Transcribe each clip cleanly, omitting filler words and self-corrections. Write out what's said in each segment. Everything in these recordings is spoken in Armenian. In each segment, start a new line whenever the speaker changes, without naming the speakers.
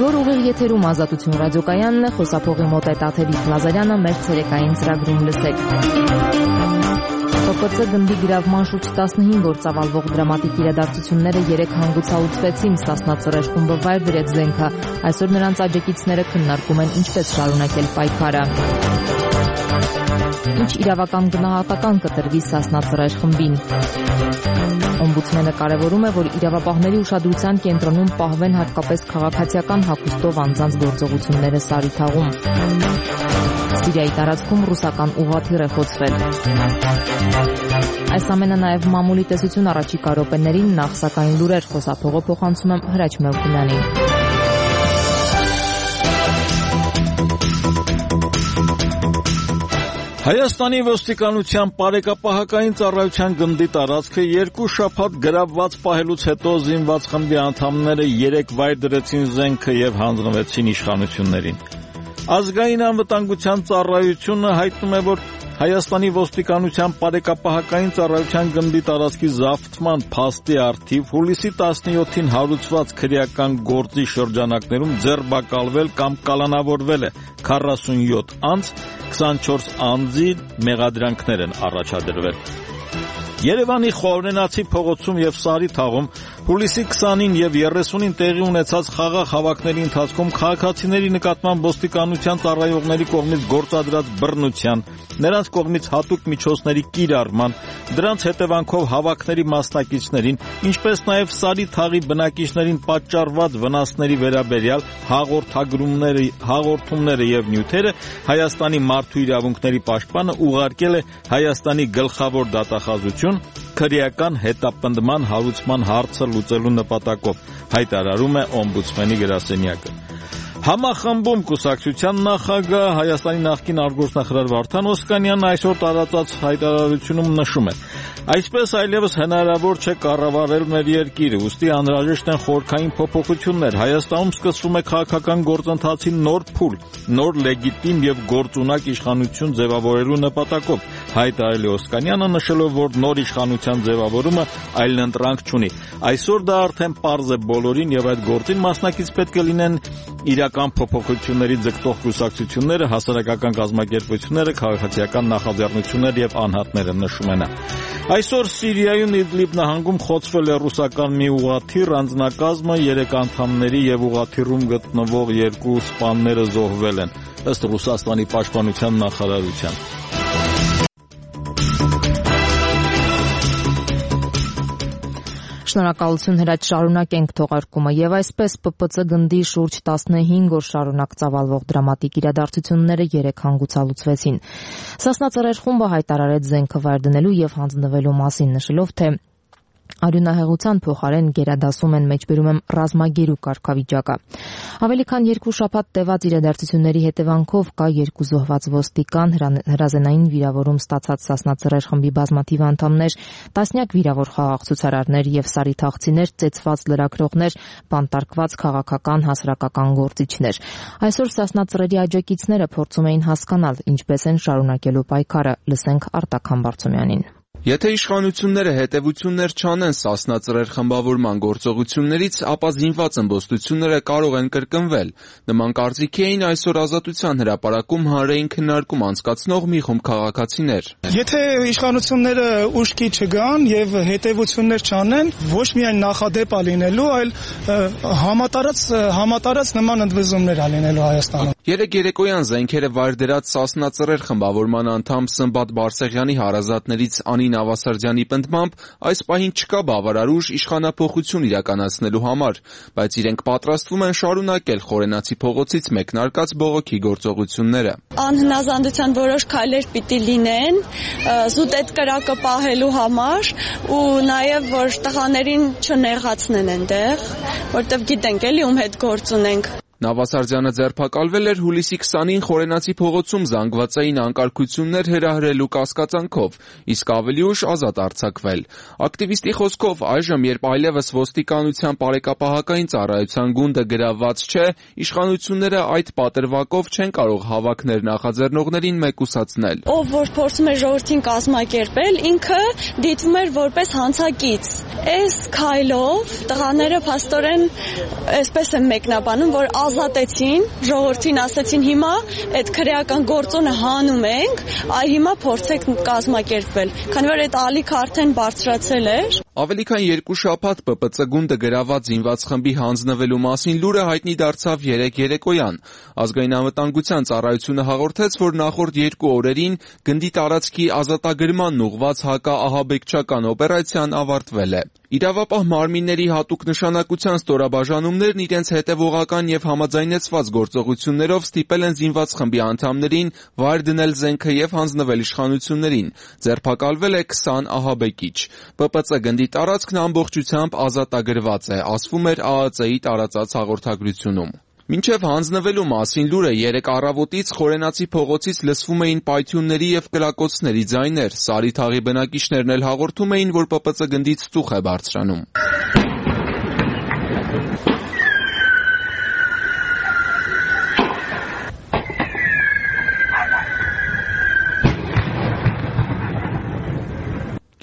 Բոլոր ուղիղ եթերում Ազատություն ռադիոկայանն է, խոսափողի մոտ է Տաթևիկ Լազարյանը, մեր ցերեկային ծրագրում լսեք։ ՊՊՑ գնդի գրավման շուրջ 15 օր ծավալվող դրամատիկ իրադարձությունները 3 հանգուցալուծվեցին, Սասնա Ծռեր խումբը վայր դրեց զենքը, այսօր նրանց աջակիցները քննարկում են ինչպես շարունակել պայքարը։ Ինչ իրավական գնահատական կտրվի Սասնա Ծռեր խմբին։ Օմբուդսմենը կարևորում է, որ իրավապահների ուշադրության կենտրոնում պահվեն հատկապես քաղաքացիական հագուստով անձանց գործողությունները Սարիթաղում։ Սիրիայի տարածքում ռուսական ուղղաթիռ է խոցվել։ Այս ամենը նաև մամուլի տեսություն առաջիկա րոպեներին, նախ սակայն լուրեր, խոսափողը փոխանցում եմ Հրաչ Մելքումյանին։
Հայաստանի ոստիկանության բարեկապահական ծառայության գնդի տարածքը 2 շաբաթ գրավված պահելուց հետո զինված խմբի անդամները 3 վայր դրեցին զենքը եւ հանձնվեցին իշխանություններին։ Ազգային անվտանգության ծառայությունը հայտնում է, որ Հայաստանի ոստիկանության բարեկապահական ծառայության գնդի տարածքի զավթման փաստի առթիվ հուլիսի 17-ին հարուցված քրեական գործի շրջանակներում ձերբակալվել կամ կալանավորվել է 47 անձ, 24 անձի մեղադրանքներ են առաջադրվել։ Երևանի Խորենացի փողոցում եւ Սարիթաղում հուլիսի 20-ին եւ 30-ին տեղի ունեցած խաղաղ հավաքների ընթացքում քաղաքացիների նկատմամբ ոստիկանության ծառայողների կողմից գործադրած բռնության, նրանց կողմից հատուկ միջոցների կիրառման, դրանց հետևանքով հավաքների մասնակիցներին, ինչպես նաեւ Սարիթաղի բնակիչներին պատճառված վնասների վերաբերյալ հաղորդումները եւ նյութերը Հայաստանի մարդու իրավունքների պաշտպանը ուղարկել է Հայաստանի գլխավոր դատախազություն քրեական հետապնդման հարուցման հարցը լուծելու նպատակով, հայտարարում է օմբուդսմենի գրասենյակը։ Համախմբում կուսակցության նախագահ Հայաստանի նախկին արտգործնախարար Վարդան Օսկանյանն այսօր տարածած հայտարարությունում նշում է. Այսպես այլևս հնարավոր չէ կառավարել մեր երկիրը, ուստի անհրաժեշտ են խորքային փոփոխություններ։ Հայաստանում սկսվում է քաղաքական գործընթացի նոր փուլ, նոր լեգիտիմ եւ գործունակ իշխանություն ձևավորելու նպատակով, հայտարարել է Օսկանյանը, նշելով, որ նոր իշխանության ձևավորումը այլընտրանք չունի։ Այսօր դա արդեն պարզ է բոլորին եւ այդ գործին մասնակից պետք է լինեն իրական փոփոխությունների ձգտող կուսակցությունները, հասարակական կազմակերպությունները, քաղաքացիական նախաձեռնությունները եւ անհատները, նշում է նա։ Այսօր Սիրիայում Իդլիբ նահանգում խոցվել է ռուսական մի ուղղաթիռ, անձնակազմը 3 անդամների եւ ուղղաթիռում գտնվող 2 սպաները զոհվել են, ըստ Ռուսաստանի պաշտպանության նախարարության։
Շնորհակալություն Հրաչ, շարունակենք թողարկումը եւ այսպես ՊՊՑ գնդի շուրջ 15 օր շարունակ ծավալվող դրամատիկ իրադարձությունները 3 հանգուցալուծվեցին։ Սասնա Ծռեր խումբը հայտարարեց զենքը վայր դնելու եւ հանձնվելու մասին, նշելով, թե արյունահեղության փոխարեն գերադասում են մեջբերում եմ ռազմագերու կարգավիճակը։ Ավելի քան 2 շաբաթ տևած իրադարձությունների հետևանքով կա 2 զոհված ոստիկան, հրազենային վիրավորում ստացած Սասնա Ծռեր խմբի բազմաթիվ անդամներ, տասնյակ վիրավոր խաղաղ ցուցարարներ եւ սարիթաղցիներ, ծեծված լրագրողներ, բանտարկված քաղաքական հասարակական գործիչներ։ Այսօր Սասնա Ծռերի աջակիցները փորձում էին հասկանալ ինչպես են շարունակելու պայքարը, լսենք Արտակ Համբարձումյանին։
Եթե իշխանությունները հետևություններ չանեն Սասնա Ծռեր խմբավորման գործողություններից, ապա զինված ըմբոստությունները կարող են կրկնվել։ Նման կարծիքի էին այսօր Ազատության հրապարակում հանրային քննարկում անցկացնող մի խումբ քաղաքացիներ։
Եթե իշխանությունները ուշքի չգան եւ հետևություններ չանեն, ոչ միայն նախադեպ է լինելու, այլ համատարած նման ընդվզումներ է լինելու Հայաստանում։
Երեկ երեկոյան զենքերը վայր դրած Սասնա Ծռեր խմբավորման անդամ Սմբատ Բարսեղյանի հարազատներից Անին Ավասարդյանի պնդմամբ այս պահին չկա բավարար ուժ իշխանափոխություն իրականացնելու համար, բայց իրենք պատրաստվում են շարունակել Խորենացի փողոցից մեկնարկած բողոքի գործողությունները։
Անհնազանդության որոշ քայլեր պիտի լինեն զուտ այդ կրակը պահելու համար ու նաև որ տղաներին չնեղացնեն այնտեղ, որտեղ գիտենք էլի ում հետ գործ ունենք։
Նավասարդյանը ձերբակալվել էր հուլիսի 20-ին Խորենացի փողոցում զանգվածային անկարգություններ հրահրելու կասկածանքով, իսկ ավելի ուշ ազատ արձակվել։ Ակտիվիստի խոսքով այժմ, երբ այլևս ոստիկանության բարեկապահական ծառայության գունդը գրավված չէ, իշխանությունները այդ պատրվակով չեն կարող հավաքներ նախաձեռնողներին մեկուսացնել։
Ով որ փորձում է ժողովրդին կազմակերպել, ինքը դիտվում էր որպես հանցակից։ Այս քայլով տղաները փաստորեն այսպես են մեկնաբանում, որ ազատեցին, ժողովրդին ասեցին հիմա այդ քրեական գործոնը հանում ենք, այ հիմա փորձեք կազմակերպվել, քանի որ այդ ալիքը արդեն բարձրացել էր։
Ավելի քան 2 շաբաթ ՊՊՑ գունդը գրաված զինված խմբի հանձնվելու մասին լուրը հայտնի դարձավ երեկոյան։ Ազգային անվտանգության ծառայությունը հաղորդեց, որ նախորդ 2 օրերին գնդի տարածքի ազատագրման ուղղված հակաահաբեկչական օպերացիան ավարտվել է։ Իրավապահ մարմինների հատուկ նշանակության ստորաբաժանումներն իրենց հետևողական եւ համաձայնեցված գործողություններով ստիպել են զինված խմբի անդամներին վայր դնել զենքը եւ հանձնվել իշխանություններին։ Ձերբակալվել է 20 ահաբեկիչ։ ՊՊՑ գնդի տարածքն ամբողջությամբ ազատագրված է, ասվում էր ԱԱԾ-ի տարածած հաղորդագրությունում։ Մինչև հանձնվելու մասին լուրը 3 առավոտից Խորենացի փողոցից լսվում էին պայթյունների եւ կլակոցների ձայներ։ Սարիթաղի բնակիչներն էլ հաղորդում էին, որ ՊՊՑ գնդից ծուխ է բարձրանում։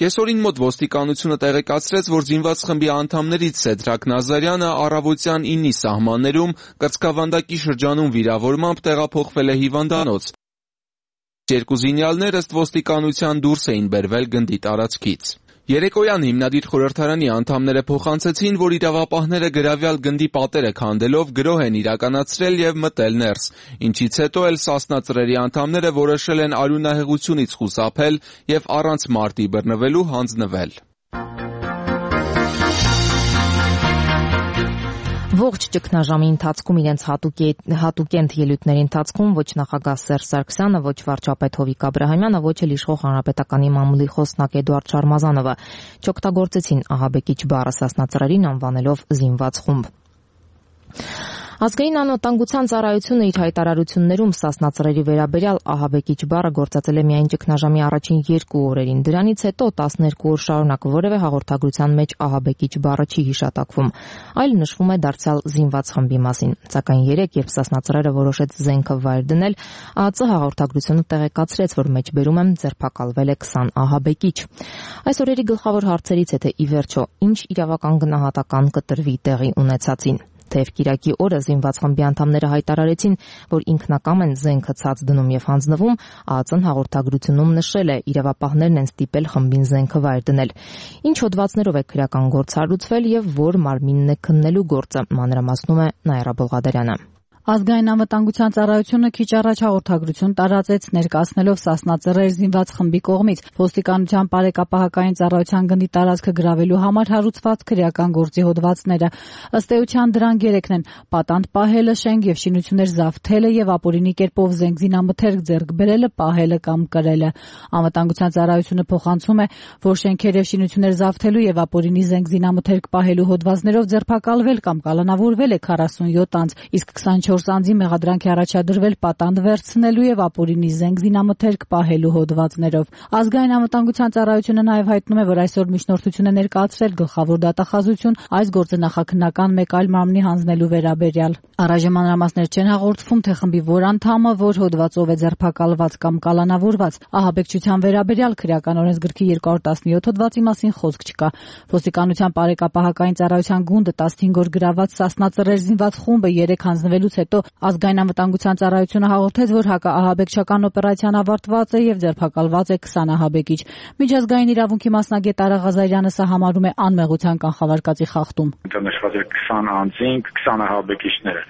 Կեսօրին մոտ ոստիկանությունը տեղեկացրեց, որ զինված խմբի անդամներից Սեդրակ Նազարյանը առավոտյան 9-ի սահմաններում կրծքավանդակի շրջանում վիրավորմամբ տեղափոխվել է հիվանդանոց։ 2 զինյալներ ըստ ոստիկանության դուրս էին բերվել գնդի տարածքից։ Երեկոյան հիմնադիր խորհրդարանի անդամները փոխանցեցին, որ իրավապահները գրավյալ գնդի պատերը քանդելով գրոհ են իրականացրել եւ մտել ներս, ինչից հետո էլ Սասնա ծռերի անդամները որոշել են արյունահեղությունից խուսափել եւ առանց մարտի բռնվելու հանձնվել։
Ողջ ճգնաժամի ընթացքում իրենց հատուկենտ ելույթների ընթացքում ոչ նախագահ Սերժ Սարգսյանը, ոչ վարչապետ Հովիկ Աբրահամյանը, ոչ էլ իշխող հանրապետականի մամուլի խոսնակ Էդուարդ Շարմազանովը չօգտագործեցին ահաբեկիչ բառը Սասնա ծռերին անվանելով զինված խումբ։ Ազգային անվտանգության ծառայությունը իր հայտարարություններում Սասնա ծռերի վերաբերյալ ահաբեկիչ բառը գործածել է միայն ճգնաժամի առաջին 2 օրերին։ Դրանից հետո 12 օր շարունակ որևէ հաղորդագրության մեջ ահաբեկիչ բառը չի հիշատակվում, այլ նշվում է դարձյալ զինված խմբի մասին։ Սակայն 3, երբ Սասնա ծռերը որոշեց զենքը վայր դնել, ԱԱԾ հաղորդագրությունը տեղեկացրեց, որ մեջբերում եմ ձերբակալվել է 20 ահաբեկիչ։ Այս օրերի գլխավոր հարցերից է, թե ի վերջո ինչ իրավական գնահատական կտրվի տեղի ունեցածին։ Թեև Կիրակի օրը զինված խմբի անդամները հայտարարեցին, որ ինքնակամ են զենքը ցած դնում եւ հանձնվում, ԱԱԾ-ն հաղորդագրությունում նշել է, իրավապահներն են ստիպել խմբին զենքը վայր դնել։ Ինչ հոդվածներով է քրեական գործ հարուցվել եւ որ մարմինն է քննելու գործը, մանրամասնում է Նաիրա Բողադարյանը։
Ազգային անվտանգության ծառայությունը քիչ առաջ հաղորդագրություն տարածեց ներկայացնելով Սասնա ծռեր զինված խմբի կողմից ոստիկանության բարեկապահական ծառայության գնդի տարածքը գրավելու համար հարուցված քրեական գործի հոդվածները։ Ըստ էության դրանք 3-ն են՝ պատանդ պահելը, շենք եւ շինություններ զավթելը եւ ապօրինի կերպով զենք զինամթերք ձեռք բերելը, պահելը կամ կրելը։ Անվտանգության ծառայությունը փոխանցում է, որ շենքեր եւ շինություններ զավթելու եւ ապօրինի զենք զինամթերք պահելու հոդվածներով ձերբակալվել կամ կալանավորվել է 47 անձ, իսկ 24 անձի մեղադրանք է առաջադրվել պատանդ վերցնելու եւ ապօրինի զենք զինամթերք պահելու հոդվածներով։ Ազգային անվտանգության ծառայությունը նաեւ հայտնում է, որ այսօր միջնորդություն է ներկայացրել գլխավոր դատախազություն այս գործը նախաքննական մեկ այլ մարմնի հանձնելու վերաբերյալ։ Առայժմ մանրամասներ չեն հաղորդվում, թե խմբի որ անդամը որ հոդվածով է ձերբակալված կամ կալանավորված։ Ահաբեկչության վերաբերյալ քրեական օրենսգրքի 217 հոդվածի մասին խոսք չկա։ Ոստիկանության բարեկապահական ծառայության գունդը 15 օր գրաված Սասնա ծռեր զինված խումբը 3 հանձնվելուց հետո ազգային անվտանգության ծառայությունը հաղորդեց, որ հակաահաբեկչական օպերացիան ավարտված է եւ ձերբակալված է 20 ահաբեկիչ։ Միջազգային իրավունքի մասնագետ Արա Ղազարյանը սա համարում է անմեղության կանխավարկածի խախտում։
Նշված է 20 անձին 20 ահաբեկիչները։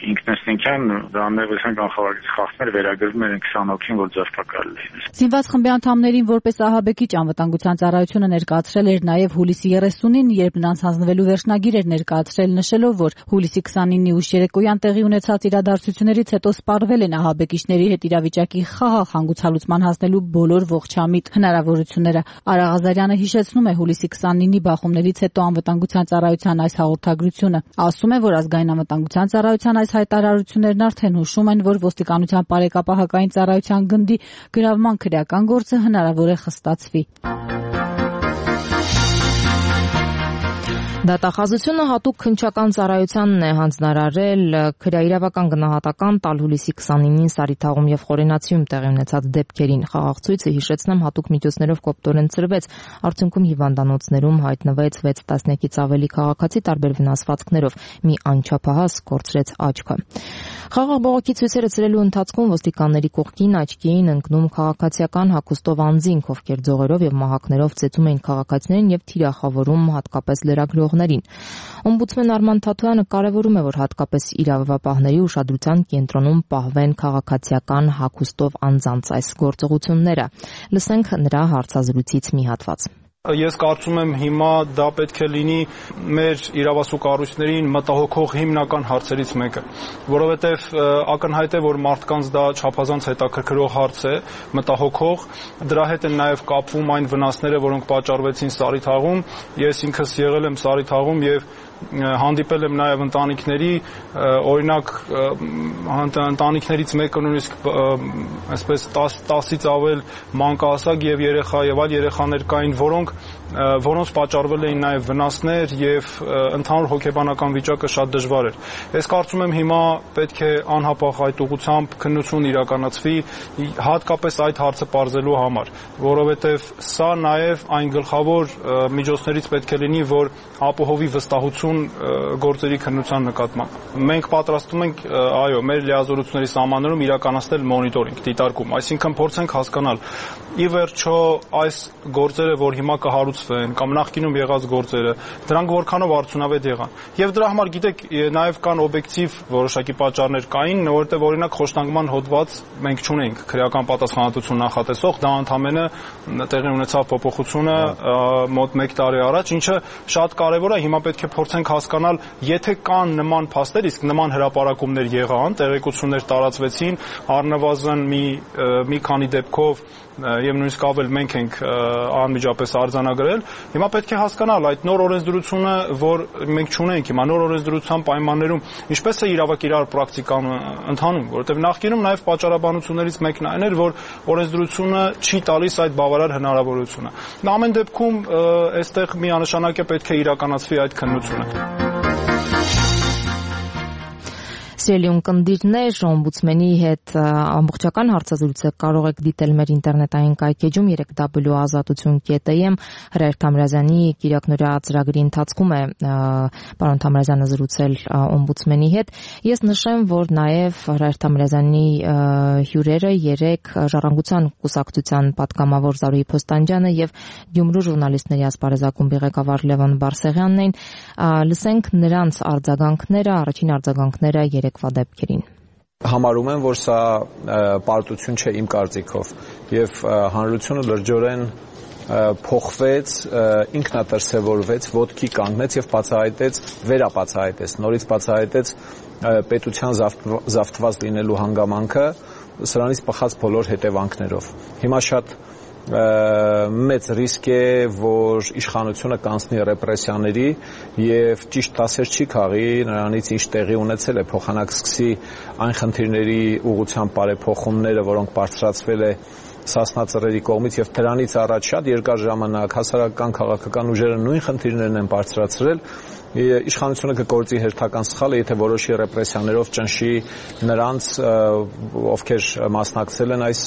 Ինքնըստինքյան անմեղության կանխավարկածի խախտումները վերագրվում են 20 հոգին, որ ձերբակալել են։
Զինված խմբի անդամներին որպես ահաբեկիչ անվտանգության ծառայությունը ներկայացրել էր նաև հուլիսի 30-ին, երբ նրանց հանձնվելու վերջնագիր էր ներկայացրել նշելով, որ հուլիսի 29-ի ուշ երեկոյան տեղի ունեցած իրադարձություններից հետո սպառվել են ահաբեկիչների հետ իրավիճակի խաղաղ հանգուցալուծման հասնելու բոլոր ողջամիտ հնարավորությունները։ Արա Ղազարյանը հիշեցնում է հուլիսի 29-ի բախումներից հետո անվտանգության ծառայության այս հաղորդագրությունը։ Ասում է, որ ազգային անվտանգության ծառայության այս հայտարարություններն արդեն հուշում են, որ ոստիկանության բարեկապահական ծառայության գնդի գրավման քրեական գործը հնարավոր է խստացվի։
Դատախազությունը հատուկ քննչական ծառայությանն է հանձնարարել քրեաիրավական գնահատական տալ հուլիսի 29-ին Սարիթաղում եւ Խորենացիում տեղի ունեցած դեպքերին։ Խաղաղցույցը, հիշեցնեմ, հատուկ միջոցներով կոպտորեն ծրվեց, արդյունքում հիվանդանոցներում հայտնվեց 6 տասնյակից ավելի քաղաքացի տարբեր վնասվածքներով, մի անչափահաս կորցրեց աչքը։ Խաղաղ բողոքի ցույցերը ծրելու ընթացքում ոստիկանների կողքին աչքի էին ընկնում քաղաքացիական հագուստով անձինք, ովքեր ձողերով եւ մահակներով ծեծում էին քաղաքացիներին եւ թիրախավորում հատկապես լրագրողներին։ Օմբուդսմեն Արման Թաթոյանը կարևորում է, որ հատկապես իրավապահների ուշադրության կենտրոնում պահվեն քաղաքացիական հագուստով անձանց այս գործողությունները։ Լսենք նրա հարցազրույցից մի հատված։
Ես կարծում եմ հիմա դա պետք է լինի մեր իրավասու կառույցներին մտահոգող հիմնական հարցերից մեկը, որովհետև ակնհայտ է, որ մարդկանց դա չափազանց հետաքրքրող հարց է, մտահոգող, դրա հետ են նաև կապվում այն վնասները, որոնք պատճառվեցին Սարիթաղում։ Ես ինքս եղել եմ Սարիթաղում եւ հանդիպել եմ նաև ընտանիքների, օրինակ ընտանիքներից մեկը նույնիսկ այսպես 10-ից ավել մանկահասակ եւ երեխա եւ այլ երեխաներ կային, որոնց պատճառվել էին նաև վնասներ եւ ընդհանուր հոգեբանական վիճակը շատ դժվար էր։ Ես կարծում եմ հիմա պետք է անհապաղ այդ ուղղությամբ քննություն իրականացվի, հատկապես այդ հարցը պարզելու համար, որովհետեւ սա նաև այն գլխավոր միջոցներից պետք է լինի, որ ապահովի վստահություն գործերի քննության նկատմամբ։ Մենք պատրաստվում ենք, այո, մեր լիազորությունների սահմաններում իրականացնել մոնիտորինգ, դիտարկում, այսինքն փորձենք հասկանալ ի վերջո այս գործերը, որ հիմա կհարուցվեն կամ նախկինում եղած գործերը, դրանք որքանով արդյունավետ եղան։ Եւ դրա համար գիտեք, նաեւ կան օբյեկտիվ որոշակի պատճառներ կային, որովհետեւ օրինակ խոշտանգման հոդված մենք չունենք քրեական պատասխանատվություն նախատեսող, դա ընդհանրապես տեղի ունեցավ փոփոխությունը մոտ 1 տարի առաջ, ինչը շատ կարեւոր է, հիմա պետք է փորձենք հասկանալ, եթե կան նման փաստեր, իսկ նման հրապարակումներ եղան, տեղեկություններ տարածվեցին, առնվազն մի քանի դեպքով եւ նույնիսկ ավել մենք ենք անմիջապես արձանագրել, հիմա պետք է հասկանալ այդ նոր օրենսդրությունը, որ մենք չունենք հիմա, նոր օրենսդրության պայմաններում ինչպես է իրավակիրառ պրակտիկան ընթանում, որովհետեւ նախկինում նաեւ պատճառաբանություններից մեկն այն էր, որ օրենսդրությունը չի տալիս այդ բավարար հնարավորությունը։ Ամեն դեպքում այստեղ միանշանակ է պետք է իրականացվի այդ քննությունը։
Սիրելի ունկնդիրներ, օմբուդսմենի հետ ամբողջական հարցազրույցը կարող եք դիտել մեր ինտերնետային կայքեջում www.azatutun.am Հրայր Թամրազյանի կիրակնօրյա ծրագրի ընթացքում է պարոն Թամրազյանը զրուցել օմբուդսմենի հետ։ Ես նշեմ, որ նաև Հրայր Թամրազյանի հյուրերը երեք Ժառանգության կուսակցության պատգամավոր Զարուհի Փոստանջյանը եւ Գյումրու ժուրնալիստների ասպարեզակումբի ղեկավար Լևոն Բարսեղյանն էին։ Լսենք նրանց արձագանքները, առաջին արձագանքները երեկվա դեպքերին։
Համարում եմ, որ սա պարտություն չէ իմ կարծիքով եւ հանրությունը լրջորեն փոխվեց, ինքնատրսևորվեց, ոտքի կանգնեց եւ վերաբացահայտեց, նորից բացահայտեց պետության զավթված լինելու հանգամանքը սրանից բխած բոլոր հետևանքներով։ Հիմա շատ մեծ ռիսկ է, որ իշխանությունը կանցնի ռեպրեսիաների եւ ճիշտ դասեր չի քաղի նրանից, ինչ տեղի ունեցել է, փոխանակ սկսի այն խնդիրների ուղղությամբ բարեփոխումները, որոնք բարձրացվել է Սասնա ծռերի կողմից եւ դրանից առաջ շատ երկար ժամանակ հասարակական քաղաքական ուժերը նույն խնդիրներն են բարձրացրել, իշխանությունը կգործի հերթական սխալը, եթե որոշի ռեպրեսիաներով ճնշի նրանց, ովքեր մասնակցել են այս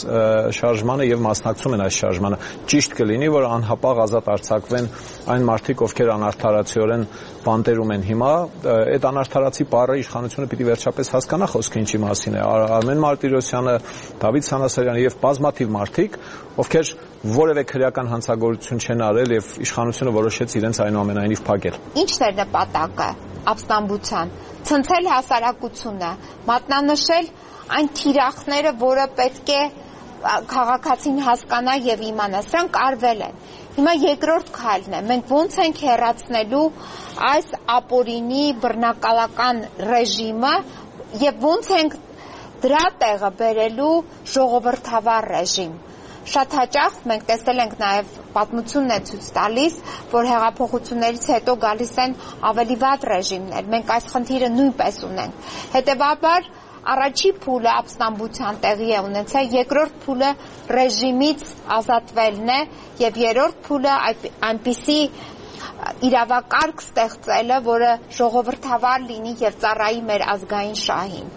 շարժմանը եւ մասնակցում են այս շարժմանը։ Ճիշտ կլինի, որ անհապաղ ազատ արձակվեն այն մարդիկ, ովքեր անարդարացիորեն բանտերում են հիմա, այդ անարդարացի բառը իշխանությունը պիտի վերջապես հասկանա խոսքը ինչի մասին է։ Արմեն Մարտիրոսյանը, Դավիթ Սանասարյանը եւ բազմաթիվ մարդիկ, ովքեր որևէ քրեական հանցագործություն չեն արել եւ իշխանությունը որոշեց իրենց այնուամենայնիվ փակել։
Ինչն էր նպատակը ապստամբության, ցնցել հասարակությունը, մատնանշել այն թիրախները, որը պետք է քաղաքացին հասկանա եւ իմանա, սրանք արվել են։ Հիմա երկրորդ քայլն է, մենք ոնց ենք հեռացնելու այս ապօրինի բռնակալական ռեժիմը եւ ոնց ենք դրա տեղը բերելու ժողովրդավար ռեժիմ։ Շատ հաճախ մենք տեսել ենք նաև պատմությունն է ցույց տալիս, որ հեղափոխություններից հետո գալիս են ավելի վատ ռեժիմներ։ Մենք այս խնդիրը նույնպես ունենք։ Հետևաբար առաջի փուլը ապստամբության տեղի է ունեցել, երկրորդ փուլը ռեժիմից ազատվելն է եւ երրորդ փուլը այնպիսի իրավակարգ ստեղծելը, որը ժողովրդավար լինի եւ ծառայի մեր ազգային շահին։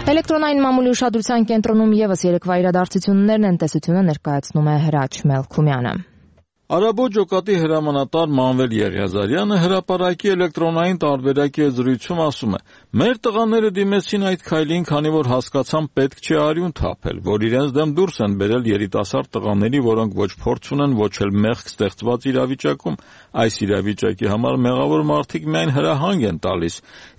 Էլեկտրոնային մամուլի ուշադրության կենտրոնում եւս երեկվա իրադարձություններն են, տեսությունը ներկայացնում է Հրաչ Մելքումյանը։
Արաբոտ ջոկատի հրամանատար Մանվել Եղիազարյանը հրապարակի էլեկտրոնային տարբերակի զրույցում ասում է. «Մեր տղաները դիմեցին այդ քայլին, քանի որ հասկացան պետք չէ արյուն թափել, որ իրենց դեմ դուրս են բերել երիտասարդ տղաների, որոնք ոչ փորձ ունեն, ոչ էլ մեղք ստեղծված իրավիճակում։ Այս իրավիճակի համար մեղավոր մարդիկ միայն հրահանգ են տալիս,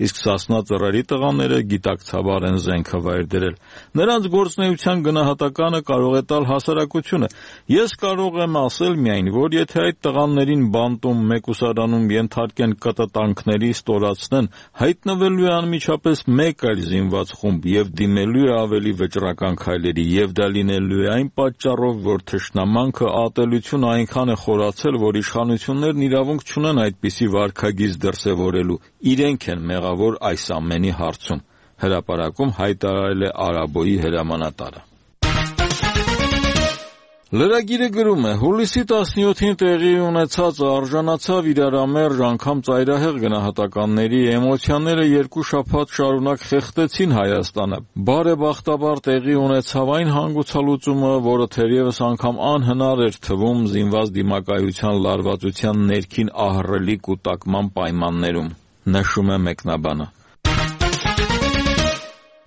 իսկ Սասնա ծռերի տղաները գիտակցաբար են զենքը վայր դրել։ Նրանց գործունեության գնահատականը կարող է տալ հասարակությունը։ Ես կարող եմ ասել միայն, որ եթե այդ տղաներին բանտում մեկուսարանում ենթարկեն կտտանքների ստորացնեն, հայտնվելու է անմիջապես մեկ այլ զինված խումբ եւ դիմելու է ավելի վճռական քայլերի, եւ դա լինելու է այն պատճառով, որ թշնամանքը ատելությունը այնքան է խորացել, որ իշխանություններն իրավունք չունեն այդպիսի վարքագիծ դրսևորելու, իրենք են մեղավոր այս ամենի հարցում», հրապարակում հայտարարել է Արաբոյի հրամանատարը։ Լրագիրը գրում է. հուլիսի 17-ին տեղի ունեցածը արժանացավ իրարամերժ անգամ ծայրահեղ գնահատականների, էմոցիաները 2 շաբաթ շարունակ խեղդեցին Հայաստանը։ Բարեբախտաբար տեղի ունեցավ այն հանգուցալուծումը, որը թերևս անգամ անհնար էր թվում զինված դիմակայության լարվածության ներքին ահռելի կուտակման պայմաններում, նշում է մեկնաբանը։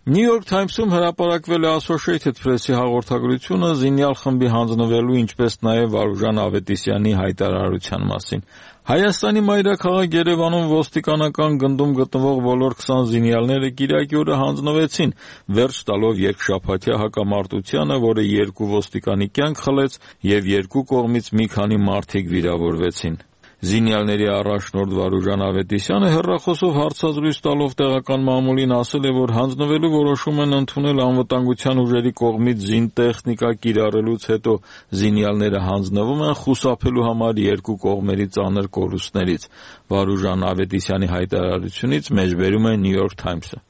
New York Times-ում հրապարակվել է Associated Press-ի հաղորդագրությունը զինյալ խմբի հանձնվելու, ինչպես նաև Վարուժան Ավետիսյանի հայտարարության մասին։ Հայաստանի մայրաքաղաք Երևանում ոստիկանական գնդում գտնվող բոլոր 20 զինյալները կիրակի օրը հանձնվեցին, վերջ տալով երկշաբաթյա հակամարտությանը, որը 2 ոստիկանի կյանք խլեց եւ 2 կողմից մի քանի մարդիկ վիրավորվեցին։ Զինյալների առաջնորդ Վարուժան Ավետիսյանը հեռախոսով հարցազրույց տալով տեղական մամուլին ասել է, որ հանձնվելու որոշում են ընդունել անվտանգության ուժերի կողմից զինտեխնիկա կիրառելուց հետո զինյալները հանձնվում են խուսափելու համար 2 կողմերի ծանր կորուստներից։ Վարուժան Ավետիսյանի հայտարարությունից մեջբերում է New York Times-ը։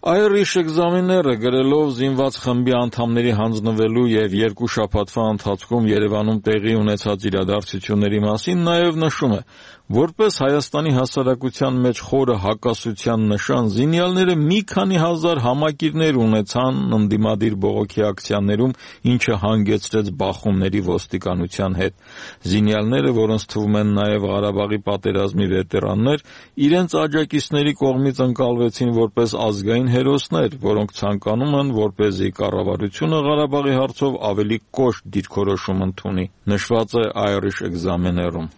Irish Examiner-ը գրելով զինված խմբի անդամների հանձնվելու եւ 2 շաբաթվա ընթացքում Երևանում տեղի ունեցած իրադարձությունների մասին նաև նշում է. որպես Հայաստանի հասարակության մեջ խորը հակասության նշան, զինյալները մի քանի հազար համակիրներ ունեցան ընդդիմադիր բողոքի ակցիաներում, ինչը հանգեցրեց բախումների ոստիկանության հետ։ Զինյալները, որոնց թվում են նաև Ղարաբաղի պատերազմի վետերաններ, իրենց աջակիցների կողմից ընկալվեցին որպես ազգային հերոսներ, որոնք ցանկանում են, որպեսզի կառավարությունը Ղարաբաղի հարցով ավելի կոշտ դիրքորոշում ընդունի, նշված է Irish Examiner-ում։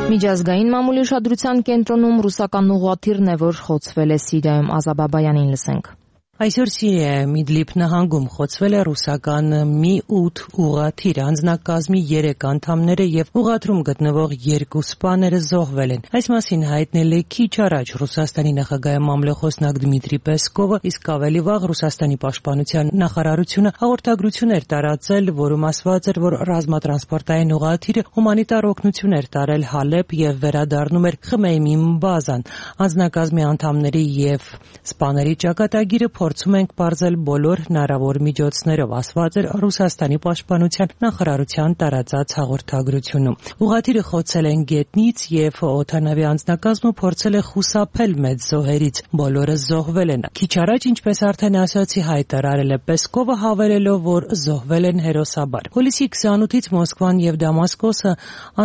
Միջազգային մամուլի ուշադրության կենտրոնում ռուսական ուղղաթիռն է, որ խոցվել է Սիրիայում, Ազաբա Բայանին լսենք։
Այսօր Սիրիայում Իդլիբ նահանգում խոցվել է ռուսական Mi-8 ուղղաթիռ, անձնակազմի 3 անդամները եւ ուղղաթիռում գտնվող 2 սպաները զոհվել են։ Այս մասին հայտնել է քիչ առաջ Ռուսաստանի նախագահի մամլոխոսնակ Դմիտրի Պեսկովը, իսկ ավելի վաղ Ռուսաստանի պաշտպանության նախարարությունը հաղորդագրություն էր տարածել, որում ասված էր, որ ռազմատրանսպորտային ուղղաթիռը հումանիտար օգնություն էր տարել Հալեբ եւ վերադառնում էր Խմեյմի բազան։ Անձնակազմի անդամների եւ սպաների ճակատագիրը փորձում ենք բարձել բոլոր հնարավոր միջոցներով, ասված էր Ռուսաստանի պաշտպանության նախարարության տարածած հաղորդագրությունում։ Ուղղաթիռը խոցել են գետնից եւ օդանավի անձնակազմը փորձել է խուսափել մեծ զոհերից։ Բոլորը զոհվել են։ Քիչ առաջ, ինչպես արդեն ասացի, հայտարարել է Պեսկովը, հավելելով, որ զոհվել են հերոսաբար։ Հուլիսի 28-ից Մոսկվան եւ Դամասկոսը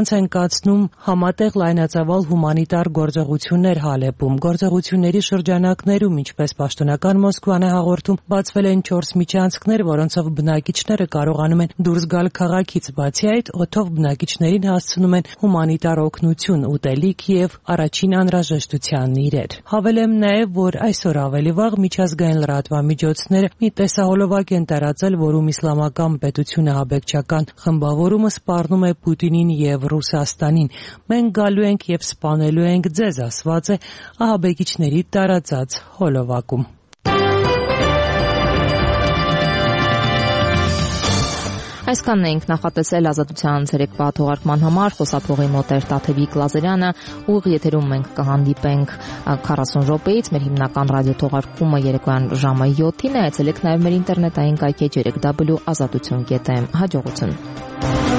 անց են կացնում համատեղ լայնածավալ հումանիտար գործողություններ Հալեբում։ Գործողությունների շրջանակներում, ինչպես պաշտոնական Մոսկվան է հաղորդում, բացվել են 4 միջանցքներ, որոնցով բնակիչները կարողանում են դուրս գալ քաղաքից։ Բացի այդ, օդով բնակիչներին հասցնում են հումանիտար օգնություն, ուտելիք եւ առաջին անհրաժեշտության իրեր։ Հավելեմ նաեւ, որ այսօր ավելի վաղ միջազգային լրատվամիջոցները մի տեսահոլովակ են տարածել, որում իսլամական պետությունը ահաբեկչական խմբավորումը սպառնում է Պուտինին եւ Ռուսաստանին։ Մենք գալու ենք եւ սպանելու ենք ձեզ, ասված է ահաբեկիչների տարածած հոլովակում։
Այսքանն էինք նախատեսել Ազատության ցերեկվա թողարկման համար, խոսափողի մոտ էր Տաթևիկ Լազարյանը, ուղիղ եթերում մենք կհանդիպենք 40 րոպեից, մեր հիմնական ռադիոթողարկումը երեկոյան ժամը 7-ին է, այցելեք նաև մեր ինտերնետային կայքեջերը www.azatutun.am։ Հաջողություն։